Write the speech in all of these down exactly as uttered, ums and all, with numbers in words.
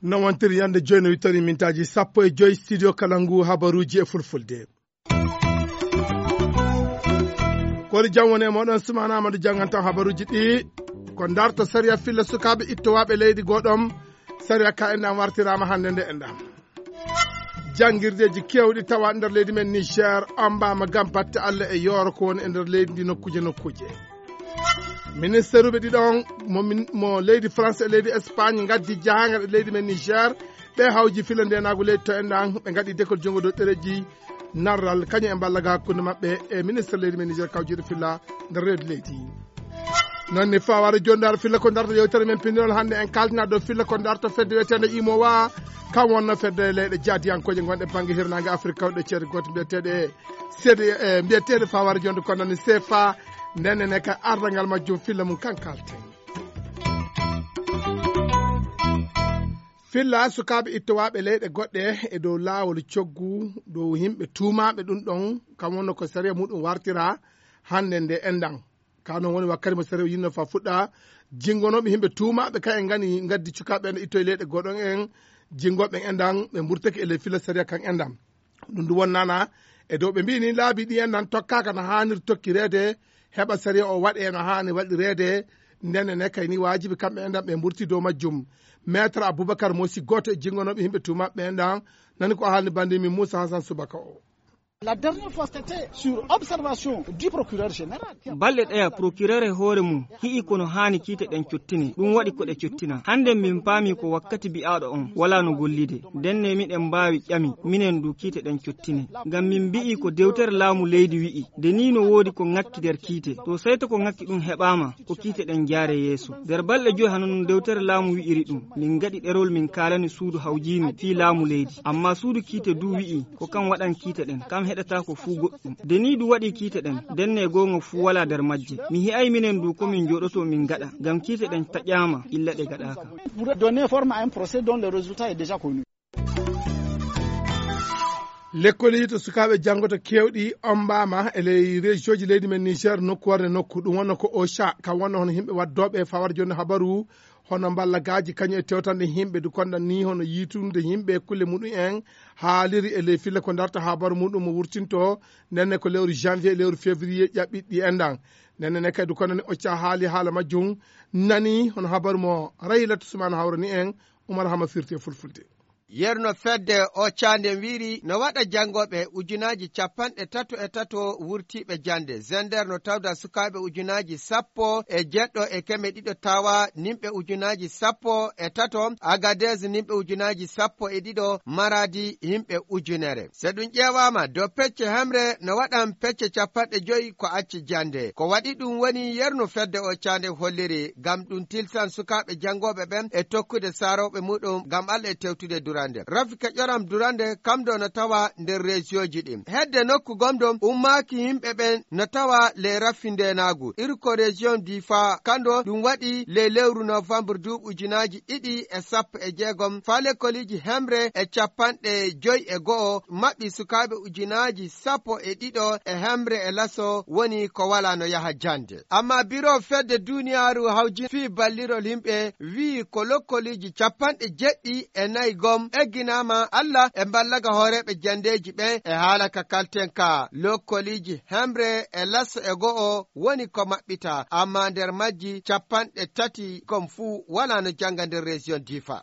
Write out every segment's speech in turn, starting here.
No wontiri yande joyi no wittori mintaaji sappo e joyi studio kala ngu habaruuji e fulfulde. Kori jam woni e moɗon sumana amadu jangantan habaruuji ɗi. Ko darta sariya filla sukaaɓe ittowaaɓe leydi goɗom. Sariya ka enɗam wartiraama hannde nde enɗam. Janngirdeeji keewɗi tawa nder leydi men Niger, ombaama ngam batte Allah e yooro ko woni e nder leydi ndi nokkuuje nokkuuje. Ministeruɓe ɗiɗon mo min- mo leydi France e leydi Espagne ngaddi jahangal e leydi men Niger. Ɓe hawji filla ndenaagu leydi to enɗan, ɓe ngaɗi dekol junngo dow ɗereji narral kañum e mballa ga hakkunde maɓɓe e ministre leydi men Niger kawjiɗo filla nder reedu leydi. Noon ni fawaade joni dar filla ko darta yewtere men pindiral hannde en kaltina dow filla ko darta fedde wiyetende imowa. Kam wonno fedde leyɗe jaadiyankooje gonɗe bannge hirnaange Afirka kawɗe ceede gooto mbiyeteeɗe seede e mbiyeteeɗe fawaade jonde kono ni sefa. Ndennene ka ardangal majjum filla mum kan kalten. Filla sukaaɓe ittowaaɓe leyɗe goɗɗe e dow laawol coggu dow yimɓe tuumaaɓe ɗum ɗon, kam wonno ko sariya muɗum wartira hannde nde enɗan. Ka noon woni wakkati mo sariya o yinno fa fuɗɗa, jinngonooɓe yimɓe tuumaaɓe kan en ngani ngaddi cukaaɓe en ittoye leyɗe goɗon en, jinngooɓe en enɗan ɓe mburtake e ley filla sariya kan enɗan. Ɗum ndu wonnana e dow ɓe mbiyi ni laabi ɗi enɗan tokkaaka no haanir tokkireede, heɓa sariya o waɗe no haani waɗireede. Ndenne ne kay ni waajibi kamɓe enɗan ɓe mburti dow majjum. Maître Aboubacar Mosi, gooto e jinngonooɓe yimɓe tuumaaɓe enɗan, nani ko haalni banndi min Moussa Hassan Subaka o. La dernière fois, c'était sur observation du procureur général. Balɗe ɗaya, procureur e hoore mum hi'i kono haani kiite ɗen cottine, ɗum waɗi ko ɗe cottina. Hannde min paami ko wakkati bi'aaɗo on walaa no gollide. Ndenne miɗen mbaawi ƴami, minen du kiite ɗen cottine. Ngam min mbi'i ko dewtere laamu leydi wi'i, de nii no woodi ko ŋakki nder kiite. To sey to ko ŋakki ɗum heɓaama, ko kiite ɗen jaare yeeso. Nder balɗe joy hano nun dewtere laamu wi'iri ɗum, min ngaɗi ɗerol min kaalani suudu hawjiinu fii laamu leydi. Amma suudu kiite du wi'i, ko kam waɗan kiite ɗen, kam heɗataako fuu goɗɗum. De nii du waɗi kiite ɗen, ndenne goonga fuu walaa nder majje. Mi hi'ay minen du ko min jooɗoto min ngaɗa, ngam kiite ɗen taƴaama illa ɗe gaɗaaka. Pour donner forme à un procès dont le résultat est déjà connu. Lekkoliji to sukaaɓe janngoto keewɗi ombaama e ley rejioji leydi men Niger nokku warde nokku. Ɗum wonno ko Ocha, kam wonno hono yimɓe waddooɓe fawar jonde habaru, hono mballagaaji kañum e tewtanɗe yimɓe du konɗan ni hono yiitunde yimɓe e kulle muɗum en haaliri e ley filla ko darta habaru muɗum mo wurtinto. Ndenne ko lewru janvier e lewru février ƴaɓɓiɗi enɗan. Ndenne ne kadi du konɗan ni Ocha haali haala majjum, nani hono habaru mo Raylatu Sumana hawrani en. Umar Hama firti e fulfulde. Yerno fedde o cande wiiri no waɗa janngooɓe ujunaaji capanɗe tato e tato wurtiiɓe jannde. Zender no tawda sukaaɓe ujunaaji sappo e jeɗɗo e keme ɗiɗo tawa nimɓe ujunaaji sappo e tato, Agadez nimɓe ujunaaji sappo e ɗiɗo, Maradi yimɓe ujunere. So ɗum ƴeewaama, dow pecce hemre no waɗan pecce capanɗe joyi ko acci jannde. Ko waɗi ɗum woni yerno fedde o cande holliri, ngam ɗum tilsan sukaaɓe janngooɓe ɓen e tokkude saarooɓe muɗum ngam Allah e tewtude durande. Rafika Ƴoram Durande, kam ɗo no tawa nder rejioji ɗin. Hedde nokku gomɗo ummaaki yimɓe ɓen no tawa ley rafindeenaagu. Iri ko rejion Difa, kanɗo ɗum waɗi ley lewru novembre duuɓi ujunaaji ɗiɗi e sappo e jeegom, faa lekkoliji hemre e capanɗe joyi e go'o maɓɓi sukaaɓe ujunaaji sappo e ɗiɗo e hemre e laso woni ko walaa no yaha jannde. Amma biro fedde duniyaaru hawji fii ballirol yimɓe wi'i ko lokkoliji capanɗe jeɗɗi e nayi gom egginaama Allah e mballaga hooreeɓe janndeeji ɓen e haala ka kalten ka. Lokkoliji hemre e laso e go'o woni ko maɓɓita, amma nder majji capanɗe tati gom fuu walaa no jannga nder rejion Difa.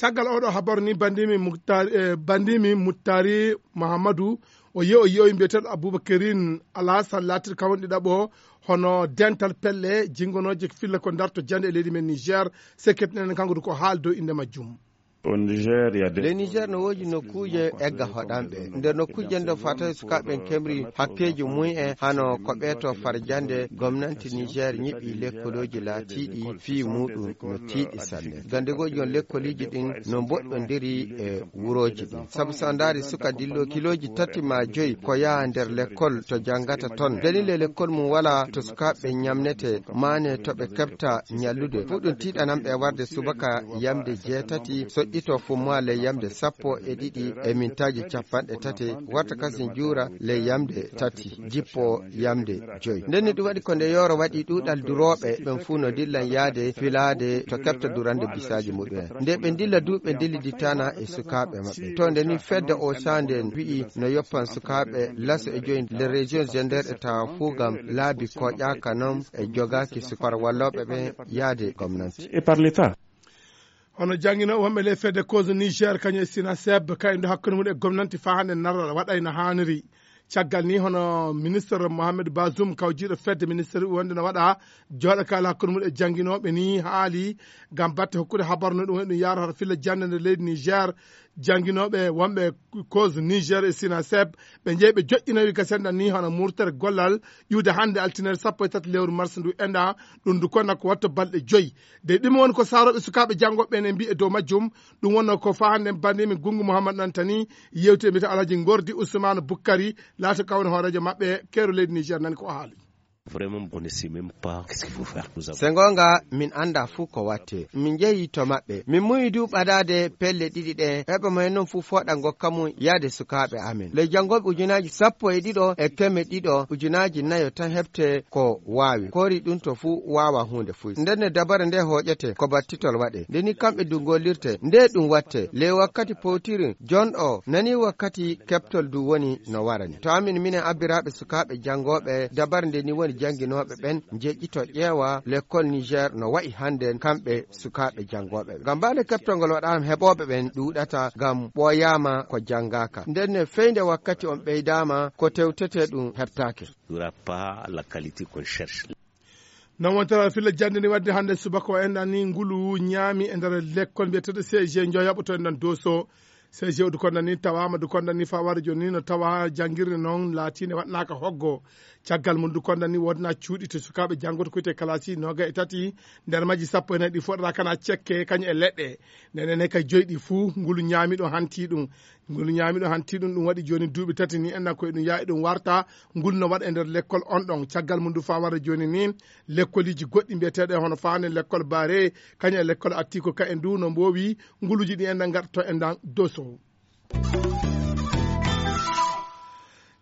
Caggal oɗo habaru ni bandimi Muktari, eh, bandimi Muttari Muhammadu, o yehi o yehi mbiyeteeɗo Aboubacarine Alassane laatir kawon ɗiɗaɓo hono dental pelle jingonooje filla ko darto jande e leydi men Niger. Sekket nenen kanko du ko haal dow innde majjum. Au Niger, il y a des- Ley Niger no woodi nokkuuje egga hoɗanɓe. Nder nokkuuje nden faa tawi sukaaɓe ɓen kemri hakkeeji mum en hano ko ɓeeto farjande gomnanti Niger ñiɓi lekkolooji laatiiɗi fii muuɗum no tiiɗi sanne. Gandegooji on lekkoliiji ɗin no mboɗɗondiri e wurooji ɗin. Sabu so a ndaari suka dillo kilooji tati maa joyi ko yaha nder lekkol to janngata ton. Dalila lekkol mum walaa to sukaaɓe ɓen ñamnete, maane to ɓe keɓta ñallude. Fuu ɗum tiiɗanan ɓe warde subaka yamde jeetati so ito fumma ley yamde sappo e ɗiɗi e mintaaji capanɗe tati, warta kasin juura ley yamde tati jippo yamde joyi. Nden ni ɗum waɗi ko nde yooro waɗi ɗuuɗal durooɓe ɓen fuu no dillan yaade filaade to keɓta durande bisaaji muɗum en. Nde ɓe ndilla du ɓe ndillidittana e sukaaɓe maɓɓe. To nde ni fedde o sande en wi'i no yoppan sukaaɓe laso e joyi nder région Zender e tawa fuu ngam laabi koƴaaka non e jogaaki sukar wallooɓe ɓen yaade gomnanti. Hono jannginooɓe wonɓe ley fedde cause Niger kañum e Sinaseb, kayɗo hakkunde mum e gomnanti faa hannde narra waɗay no haaniri. Caggal ni hono ministre Mohamed Bazoum kawjiiɗo fedde ministre wonde no waɗa jooɗo kaala hakkunde mum e jannginooɓe ni haali ngam batte hokkude habaru no ɗum waɗi ɗum yaarata filla jannde nder leydi Niger. Jannginooɓe wonɓe cause Niger e Sinaseb ɓe njeyi ɓe joƴƴinoyi ka sendan ni hono murtere gollal ƴuwde hannde altinere sappo e tati lewru mars ndu enɗa. Ɗum ndu konna ko watta balɗe joyi. De ɗum woni ko saarooɓe sukaaɓe janngooɓe ɓen e mbiye dow majjum. Ɗum wonno ko faa hannde banndimi Gunngu Muhammad Nantani yewti e mbiyata Alhaji Ngordi Usmane Bukkari laata kawne hooreejo maɓɓe keero leydi Niger nani ko o haali. Se ngoonga min annda fuu ko watte. Min njehi to maɓɓe. Min muyi du ɓadaade pelle ɗiɗi ɗe. Heɓa mo en non fuu fooɗa ngokka mum yaade sukaaɓe amen. Ley janngooɓe ujunaaji sappo e ɗiɗo e keme ɗiɗo ujunaaji nayo tan heɓte ko waawi. Koori ɗum to fuu waawa huunde fuu. Nden ne dabare nde hooƴete ko battitol waɗe. Nde ni kamɓe du ngollirte. Nde ɗum watte. Ley wakkati powtirin jonɗo nani wakkati keɓtol du woni no warani. To amin minen abbiraaɓe sukaaɓe janngooɓe dabare nde ni woni jannginooɓe ɓen njeƴƴito ƴeewa lekkol Niger no wa'i hannden kamɓe sukaaɓe janngooɓe. Ngam baa nde keɓtol ngol waɗaama heɓooɓe ɓen ɗuuɗata ngam ɓooyaama ko janngaaka. Nden ne fey nde wakkati on ɓeydaama ko tewtetee ɗum heɓtaake. N'aura pas la qualité qu'on cherche. Non wontere filla jannde ni wadde hannde subaka o enɗan ni ngulu ñaami e nder lekkol mbiyeteeɗo C G Njoyaɓo to enɗan Doso. C G o du kondan ni tawaama du kondan ni faa wara jooni ni no tawa janngirde noon laatiinde waɗnaaka hoggo. Caggal mum du kondan ni wodna cuuɗi to sukaaɓe janngoto kuyte kalasi nooga e tati nder majji sappo e nayi ɗi foɗata kana cekke kañum e leɗɗe. Ndenen he kay joyi ɗi fuu ngulu ñaami ɗo hanti ɗum. Ngol ñaami ɗo hanti ɗum ɗum waɗi jooni duuɓi tati ni enna koye ɗum yaa eɗum warta. Ngol no waɗa e nder lekkol on ɗon caggal mum du faa wara jooni ni. Lekkoliiji goɗɗi mbiyeteeɗe hono faane lekkol baare kañum e lekkol attiiko ka e ndu no mboowi. Nguluuji ɗi enɗan ngaɗa to enɗan doso.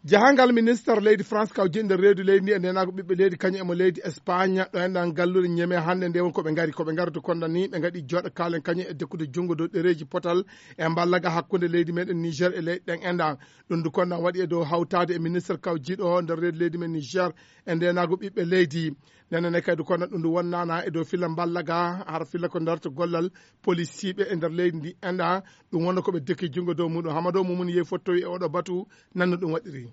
Jahangal minister leydi France kaw jiɗnde reedu leydi ndi e ndenago ɓiɓɓe leydi kañum emo leydi Espagne ɗo enɗan galluɗe ñeme hannde nde won koɓe ngari koɓe ngardu konɗan ni ɓe ngaɗi jooɗo kaalen kañum e dekkude junngo dow ɗereeji potal e mballaga hakkunde leydi meɗen Niger e leyɗe ɗen enɗan. Ɗum du konɗan waɗi e dow hawtaade e ministre kaw jiiɗo o nder reedu leydi men Niger e ndenago ɓiɓɓe leydi. Nene ne kadi konɗan ɗum du wonnana e dow filla mballaga har filla ko ndarto gollal polisiiɓe e nder leydi ndi enɗan. Ɗum wonno koɓe dekki junngo dow muɗum hamado mumum yehi fottowi e oɗo batu nanno ɗum waɗiri.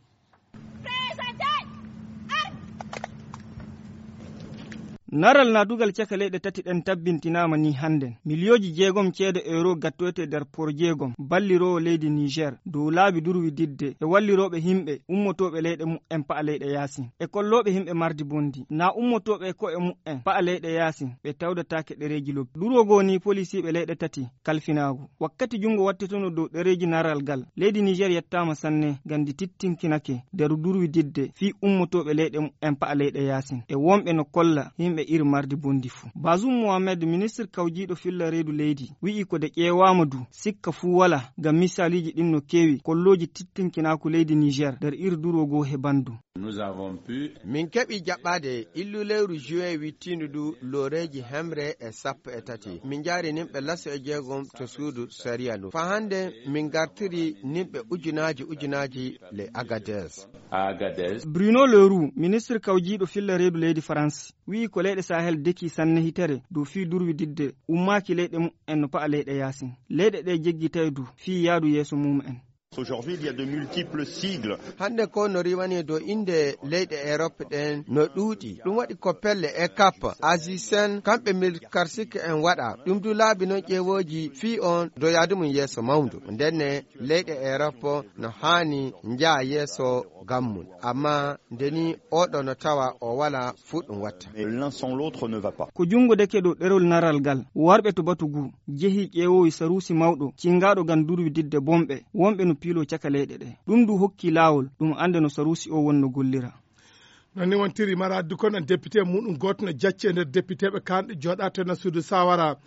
Naral nadugal caka leyɗe tati ɗen tabbintinaama ni hannden. Miliyooji jeegom ceede euro gattoyte nder por jeegom balliroowo leydi Niger dow laabi durwididde e wallirooɓe himɓe ummotooɓe leyɗe mu'en pa'a leyɗe yaasin e kollooɓe himɓe mardi bondi na ummotooɓe e ko'e mu'en pa'a leyɗe yaasin ɓe tawdataake ɗereeji lobbi. Durwo goo ni polisiiɓe leyɗe tati kalfinaagu. Wakkati junngo wattetono dow ɗereeji naral gal leydi Niger yettaama sanne ngam ndi tittinkinake nder durwididde fii ummotooɓe leyɗe mu'en pa'a leyɗe yaasin e wonɓe no kolla yimɓe iri mardi bondi fuu. Bazum Mohamed ministre kawjiiɗo filla reedu leydi wi'i ko de ƴeewaama du sikka fuu walaa ngam misaliiji ɗin no keewi kollooji tittinkinaaku leydi Niger nder iri durwo goo he banndum. Min keɓi jaɓɓaade illu lewru juin wittiindu ndu looreeji hemre e sappo e tati. Min njaari nimɓe laso e jeegom to suudu sariya ndu. Faa hannde min ngartiri nimɓe ujunaaji ujunaaji le Agadez. Bruno Leroux ministre kawjiiɗo filla reedu leydi France wi'i ko leyɗe Sahel dekii sanne hitere dow fii durwididde ummaaki leyɗe mu'en no pa'a leyɗe yaasin. Leyɗe ɗe jeggitay du fii yaadu yeeso mum'en. Hannde ko no riiwani dow innde leyɗe Erop ɗen no ɗuuɗi. Ɗum waɗi ko pelle e kap azisen kamɓe mil karsik en waɗa. Ɗum du laabi noon ƴeewooji fii on dow yaadu mum yeeso mawndu. Ndenne leyɗe Erop no haani njaha yeeso ngam mum. Amma nde ni oɗo no tawa o wala fuu ɗum watta. Ko junngo deke dow ɗerol naral ngal warɓe to batu ngu jehi ƴeewowi saruusi mawɗo cinngaaɗo ngam durwididde bomɓe wonɓe no piiloo caka leyɗe ɗe. Ɗum du hokki laawol ɗum annde no saruusi o wonno gollira. Noon ni wontiri mara addu kon en député muɗum gooto no jacci e nder députéɓe kanɗe jooɗato e nasuudu sawara.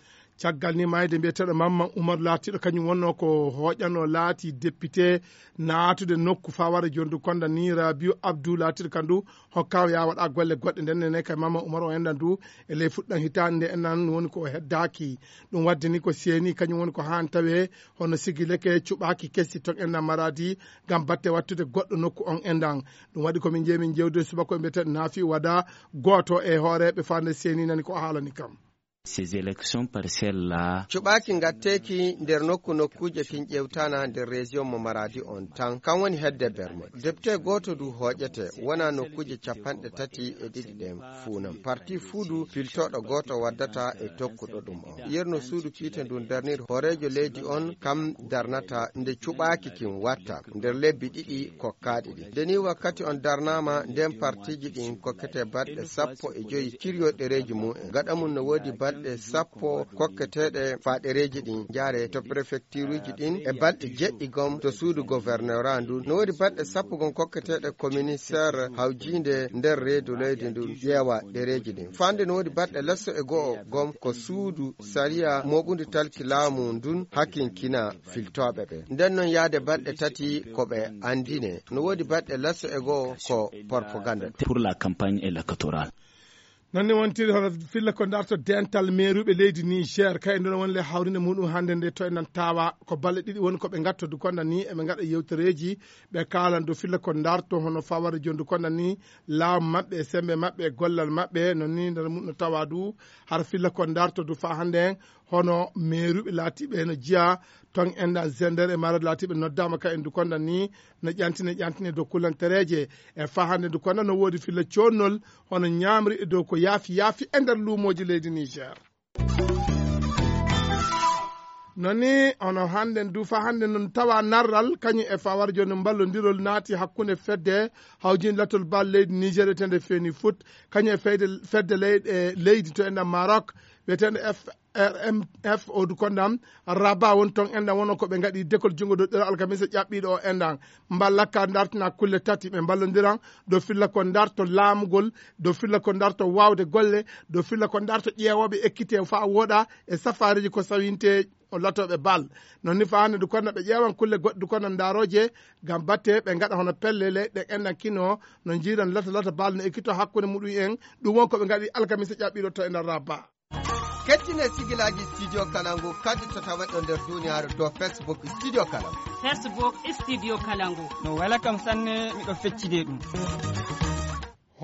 Caggal ni maayde mbiyeteeɗo Mamman Umar laatiiɗo kañum wonnoo ko hooƴano laati député naatude nokku faware jondu konda ni Rabiu Abdou laatiiɗo kandu hokkaama ya waɗa golle goɗɗe nden nene kay Mamman Umar o endan du e ley fuɗɗan hitaande nde endan woni ko heddaaki. Ɗum wadde ni ko seeni kañum woni ko haan tawe hono sigi leke cuɓaaki kesi ton endan Maradi ngam batte wattude goɗɗo nokku on endan. Ɗum waɗi ko min jeeyi min jewde subako e mbiyeteeɗo Nafi Wada gooto e hooreeɓe fande seeni nani ko haalani kam. Ces élections partielles là. Cuɓaaki ngatteeki nder nokku nokkuuje kin ƴewtana nder région mo Maradi on tan kan woni hedde bermo. Député gooto du hooƴete wona nokkuuje capanɗe tati e ɗiɗi ɗen fuu non. Parti fuu du piltooɗo gooto waddata e tokkuɗo ɗum on. Yerno suudu kiite ndun darnir hooreejo leydi on kam darnata nde cuɓaaki kin watta nder lebbi ɗiɗi kokkaaɗi ɗin. Nde ni wakkati on darnaama nden partiiji ɗin kokkete balɗe sappo e joyi ciriyo ɗereeji mum en. Gaɗa mum no woodi balɗe sappo kokketeeɗe faa ɗereeji ɗin njaare to prefectureji ɗin e balɗe jeɗɗi gom to suudu gouverneur ndun. No woodi balɗe sappo gom kokketeeɗe ko ministère hawjiinde nder reedu leydi ndun ƴeewa ɗereeji ɗin. Fande no woodi balɗe lesso e go'o gom ko suudu sariya mooɓundi talki laamu ndun hakinkina filtooɓe ɓe. Nden non yaade balɗe tati ko ɓe andine. No woodi balɗe lesso e go'o ko propaganda. Pour la campagne électorale. Non ni wontiri hono filla ko darto dental meeruɓe leydi Niger kay nden woni le hawrinde muɗum hannde nde to enen tawa ko balle ɗiɗi woni ko ɓe ngatto du konda ni eɓe ngaɗa yewtereeji ɓe kaalan du filla ko darto hono faware jondu konda ni laamu maɓɓe e sembe maɓɓe e gollal maɓɓe non ni nder muɗum no tawa du har filla ko darto du fa hannde en hono meeruɓe laatiiɓe eno jeyaa ton enɗan zender e marad laatiiɓe noddaama ka en du konda ni no ƴantine ƴantine dow kulantereeje e fahande du konda no woodi filla coonnol hono ñaamri e dow ko yaafi yaafi e nder luumooji leydi Niger. Non ni hono hannde du fa hannde non tawa narral kañum e fawar jooni mballondirol naati hakkunde fedde hawjin lattol bal leydi Niger etende feeni foot kañum e fedde leyɗe leydi to enɗan Maroc wiyetende F R M F o du kondam Rabat woni toon enɗan wono ko ɓe ngaɗi dekol junngo dow ɗeɗo alkamisa ƴaɓɓiiɗo o enɗan mballakka dartina kulle tati ɓe mballondiran dow filla ko darto laamugol dow filla ko darto waawde golle dow filla ko darto ƴeewooɓe ekkite faa wooɗa e safaariiji ko sawinte o latooɓe bal. Non ni faande du kono ɓe ƴeewan kulle goɗɗe du kono ndaarooje ngam batte ɓe ngaɗa hono pelle leyɗe enɗan kino no njiiran lata lata bal no ekkito hakkunde muɗum en ɗum won ko ɓe ngaɗi alkamisa ƴaɓɓiiɗo to e nder Rabat. Kettine sigilaaji Studio Kalangu kadi to tawaɗo nder duniyaaru dow Facebook Studio Kalangu. Facebook Studio Kalangu. No wela kam sanne miɗo feccide ɗum.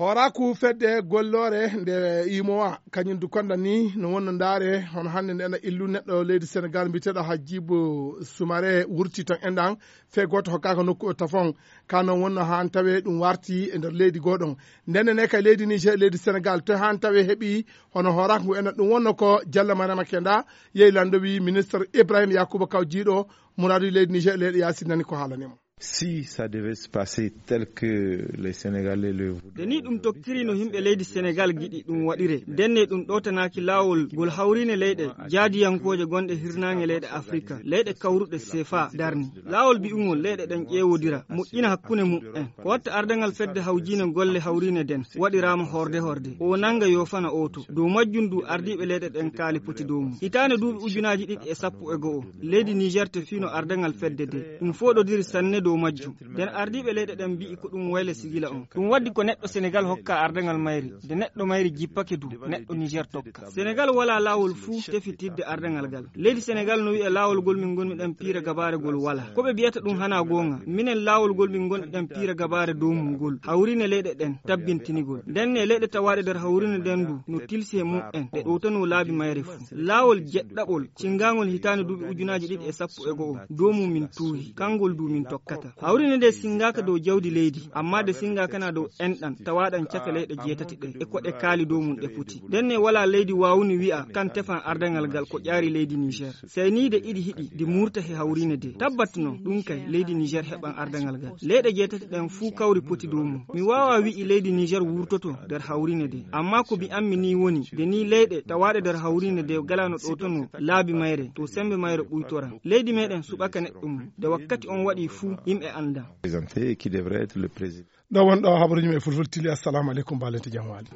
Hooraaku fedde golloore nde imowa kañum du konda ni no wonno ndaare hono hannde nde ena illu neɗɗo leydi Senegal mbiyeteeɗo Hadjibou Soumaré wurti tan enɗan fee gooto hokkaaka nokku o tafon ka noon wonno haan tawe ɗum warti e nder leydi gooɗon. Ndenne ne kay leydi Niger leydi Senegal to haan tawe heɓi hono hooraaku ngu enɗan ɗum wonno ko Jalla Mariama Kenda yehi lanndo wi ministre Ibrahima Yakuba Kaw jiiɗo muraadu leydi Niger leyɗe yaasi nani ko haalanimo. Si ça devait se passer tel que les Sénégalais le voudront. Nde ni ɗum tokkiri no yimɓe leydi Senegal giɗi ɗum waɗire ndenne ɗum ɗowtanaaki laawol ngol hawriine leyɗe jaadiyankooje gonɗe hirnaange leyɗe Afrika leyɗe kawruɗe sefa darni laawol bi'ungol leyɗe ɗen ƴeewodira moƴƴina hakkunde muɓɓen ko watta ardangal fedde hawjiine golle hawriine nden waɗiraama horde horde o nanga yoofana oto dow majjum du ardiiɓe leyɗe ɗen kaali poti dow mum hitaande duuɓi ujunaaji ɗiɗi e sappo e go'o leydi Niger te fino ardangal fedde de ɗum foɗodiri sanne dow majjum nden ardiiɓe leyɗe ɗen mbi'i ko ɗum wayle sigila on ɗum waddi ko neɗɗo Senegal hokka ardangal mayri de neɗɗo mayri jippake du neɗɗo Niger tokka Senegal wala laawol fuu tefitidde ardangal gal leydi Senegal no wi'a laawol gol min gonmi ɗen piira gabaare gol wala ko ɓe biyata ɗum hana goonga minen laawol gol min gonɗi ɗen piira gabaare dow mum gol hawriine leyɗe ɗen tabbintinigol ndenne leyɗe tawaaɗe nder hawriine nden du no tilsi he mum en ɗe ɗowtanoo laabi mayre fuu laawol jeɗɗaɓol cinngangol hitaande duuɓi ujunaaji ɗiɗi e sappo e go'o dow mum min tuuhi kangol du min tokkata hawriine nde sinngaaka dow jawdi leydi amma de sinngaakana dow enɗan tawaaɗan caka leyɗe jeetati ɗen e ko ɗe kaali dow mum ɗe poti ndenne walaa leydi waawuni wi'a kan tefan ardangal gal ko ƴaari leydi Niger seyniide iɗi hiɗi di murta he hawriine de tabbat non ɗum kay leydi Niger heɓan ardangal gal leyɗe jeetati ɗen fuu kawri poti dow mum mi waawaa wi'i leydi Niger wurtoto nder hawriine de amma ko mi ammi ni woni de ni leyɗe tawaaɗe nder hawriine de galaa no ɗowtanoo laabi mayre to semmbe mayre ɓuytora leydi meɗen suɓaka neɗɗo mum de wakkati on waɗi fuu yimɓe annda. Présenté et qui devrait être le président. Ɗo won ɗo habaruji men e fulfulde tili assalamu aleykum balente jam waali.